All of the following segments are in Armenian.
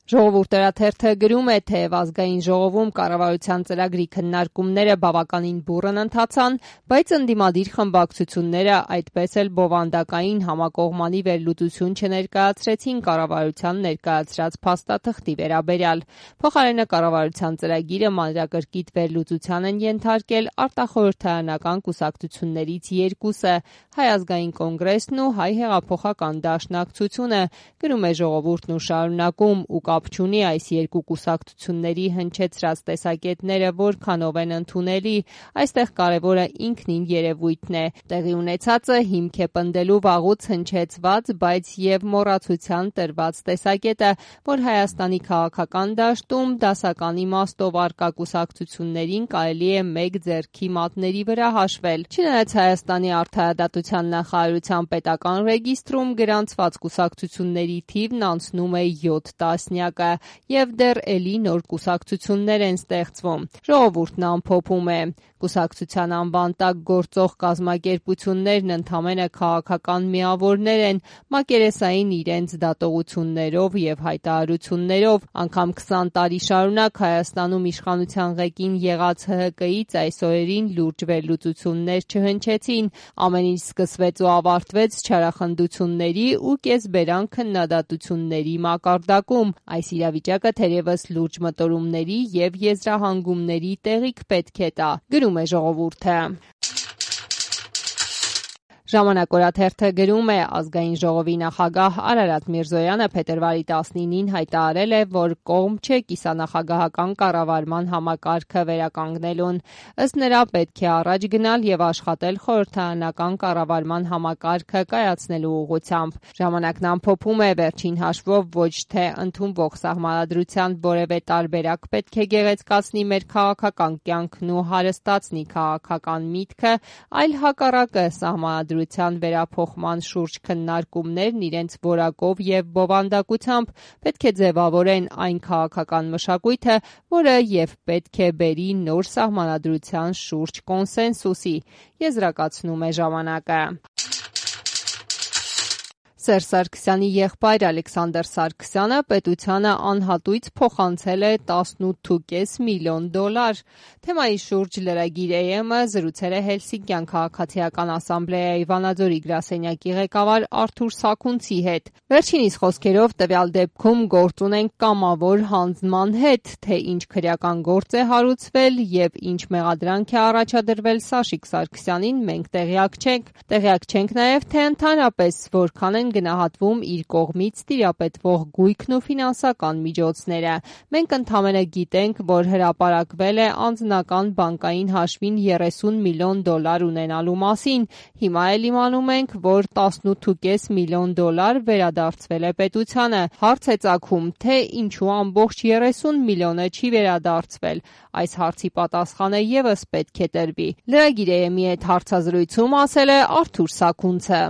Ժողովուրդ օրաթերթը գրում է, թեև ազգային ժողովում կառավարության ծրագրի քննարկումները բավականին բուռն ընթացան, բայց ընդդիմադիր խմբակցությունները այդպես էլ բովանդակային համակողմանի վերլուծություն չներկայացրեցին կառավարության ներկայացրած փաստաթղթի վերաբերյալ։ Փոխարենը կառավարության ծրագիրը մանրակրկիտ վերլուծության են ենթարկել արտախորհրդարանական կուսակցություններից երկուսը՝ Հայ ազգային կոնգրեսն ու Հայ հեղափոխական դաշնակցությունը, գրում է Ժողովուրդն ու շարունակում, ու կապ չունի այս երկու կուսակցությունների հնչեցրած տեսակետները որքանով են ընդունելի, այստեղ կարևորը ինքնին երևույթն է։ Տեղի ունեցածը հիմք է պնդելու վաղուց հնչեցված, բայց եւ մոռացության տրված տեսակետը, որ Հայաստանի քաղաքական դաշտում դասական իմաստով առկա կուսակցություններին կարելի է մեկ ձեռքի մատների վրա հաշվել։ Չնայած Հայաստանի արդարադատության նախարարության պետական ռեգիստրում գրանցված կուսակցությունների թիվն անցնում է 7 տասնյակը եւ դեռ էլի նոր կուսակցություններ են ստեղծվում։ Ժողովուրդն ամփոփում է. Կուսակցության անվան տակ գործող կազմակերպություններն ընդամենը քաղաքական միավորներ են, մակերեսային իրենց դատողություններով եւ հայտարարություններով, անգամ 20 տարի շարունակ Հայաստանում իշխանության ղեկին եղած ՀՀԿ-ից այս օրերին լուրջ վերլուծություններ չհնչեցին, ամեն ինչ սկսվեց ու ավարտվեց չարախնդությունների ու կեսբերան քննադատությունների մակարդակում։ Այս իրավիճակը թերևս լուրջ մտորումների եւ եզրահանգումների տեղիք պետք է տա, գրում է Ժողովուրդը։ Ժամանակ օրաթերթը գրում է, ազգային ժողովի նախագահ Արարատ Միրզոյանը փետրվարի 19-ին հայտարարել է, որ կողմ չէ կիսանախագահական կառավարման համակարգը վերականգնելուն։ Ըստ նրա պետք է առաջ գնալ եւ աշխատել խորհրդարանական կառավարման համակարգը կայացնելու ուղղությամբ։ Ժամանակն ամփոփում է, վերջին հաշվով ոչ թե ընդունվող սահմանադրության որևէ տարբերակ պետք է գեղեցկացնի մեր քաղաքական կյանքն ու հարստացնի քաղաքական միտքը, այլ հակառակը սահմանադրության վերափոխման շուրջ քննարկումներն իրենց որակով եւ բովանդակությամբ պետք է ձևավորեն այն քաղաքական մշակույթը, որը եւ պետք է բերի նոր սահմանադրության շուրջ կոնսենսուսի, եզրակացնում է ժամանակը։ Սերժ Սարգսյանի եղբայր Ալեքսանդր Սարգսյանը պետությանը անհատույց փոխանցել է $18.5 միլիոն։ Թեմայի շուրջ Lragir AM-ը զրուցել է Հելսինկյան քաղաքացիական ասամբլեայի Վանաձորի գրասենյակի ղեկավար Արթուր Սաքունցի հետ։ Վերջինիս խոսքերով տվյալ դեպքում գործ ունենք կամավոր հանձնման հետ, թե ինչ քրեական գործ է հարուցվել եւ ինչ մեղադրանք է առաջադրվել Սաշիկ Սարգսյանին, մենք տեղյակ չենք։ Տեղյակ չենք նաեւ, թե ընդհանրապես որքան են գնահատվում իր կողմից տիրապետվող գույքն ու ֆինանսական միջոցները։ Մենք ընդամենը գիտենք, որ հրապարակվել է անձնական բանկային հաշվին $30 միլիոն ունենալու մասին։ Հիմա էլ իմանում ենք, որ $18.5 միլիոն վերադարձվել է պետությանը։ Հարց է ծագում, թե ինչու ամբողջ 30 միլիոնը չի վերադարձվել։ Այս հարցի պատասխանը եւս պետք է տրվի։ Lragir AM-ի հետ հարցազրույցում ասել է Արթուր Սաքունցը։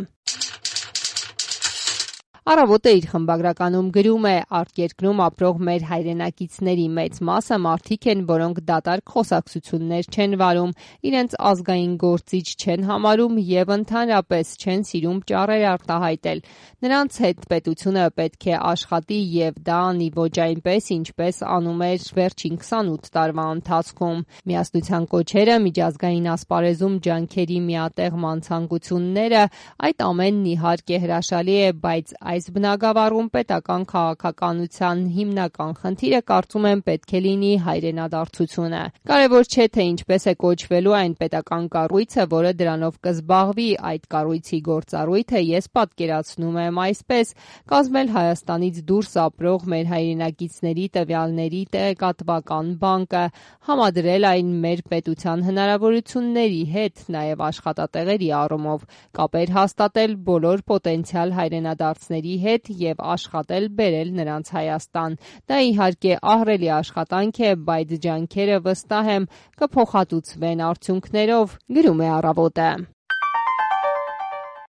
Առավոտը իր խմբագրականում գրում է. արտերկրում ապրող մեր հայրենակիցների մեծ մասը մարդիկ են, որոնք դատարկ խոսակցություններ չեն վարում, իրենց ազգային գործիչ չեն համարում եւ ընդհանրապես չեն սիրում ճառեր արտահայտել։ Նրանց հետ պետությունը պետք է աշխատի եւ դա անի ոչ այնպես, ինչպես անում էր վերջին 28 տարվա ընթացքում։ Միասնության կոչերը, միջազգային ասպարեզում ջանքերի միատեղման ցանկությունները, այդ ամենն իհարկե հրաշալի է, բայց այս բնագավառում պետական քաղաքականության հիմնական խնդիրը կարծում եմ պետք է լինի հայրենադարձությունը։ Կարևոր չէ, թե ինչպես է կոչվելու այն պետական կառույցը, որը դրանով կզբաղվի, այդ կառույցի գործառույթը ես պատկերացնում եմ այսպես. կազմել Հայաստանից դուրս ապրող մեր հայրենակիցների տվյալների տեղեկատվական բանկը, համադրել այն մեր պետության հնարավորությունների հետ, նաև աշխատատեղերի առումով, կապեր հաստատել բոլոր պոտենցիալ հայրենադարձների հետ եւ աշխատել բերել նրանց Հայաստան։ Դա իհարկե ահռելի աշխատանք է, բայց ջանքերը վստահ եմ կփոխհատուցվեն արդյունքներով, գրում է Առավոտը։